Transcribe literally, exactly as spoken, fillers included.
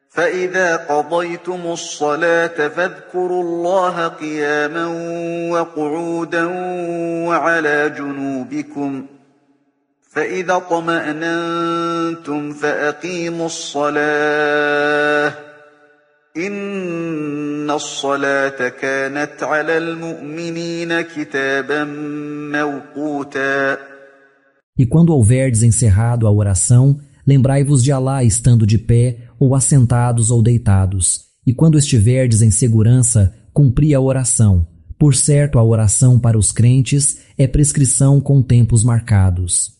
فإذا قضيتم الصلاة فاذكروا الله قياما وقعودا وعلى جنوبكم فإذا اطمأننتم فأقيموا الصلاة إن الصلاة كانت على المؤمنين كتابا موقوتا. E quando houverdes encerrado a oração, lembrai-vos de Alá estando de pé, ou assentados ou deitados. E quando estiverdes em segurança, cumpri a oração. Por certo, a oração para os crentes é prescrição com tempos marcados.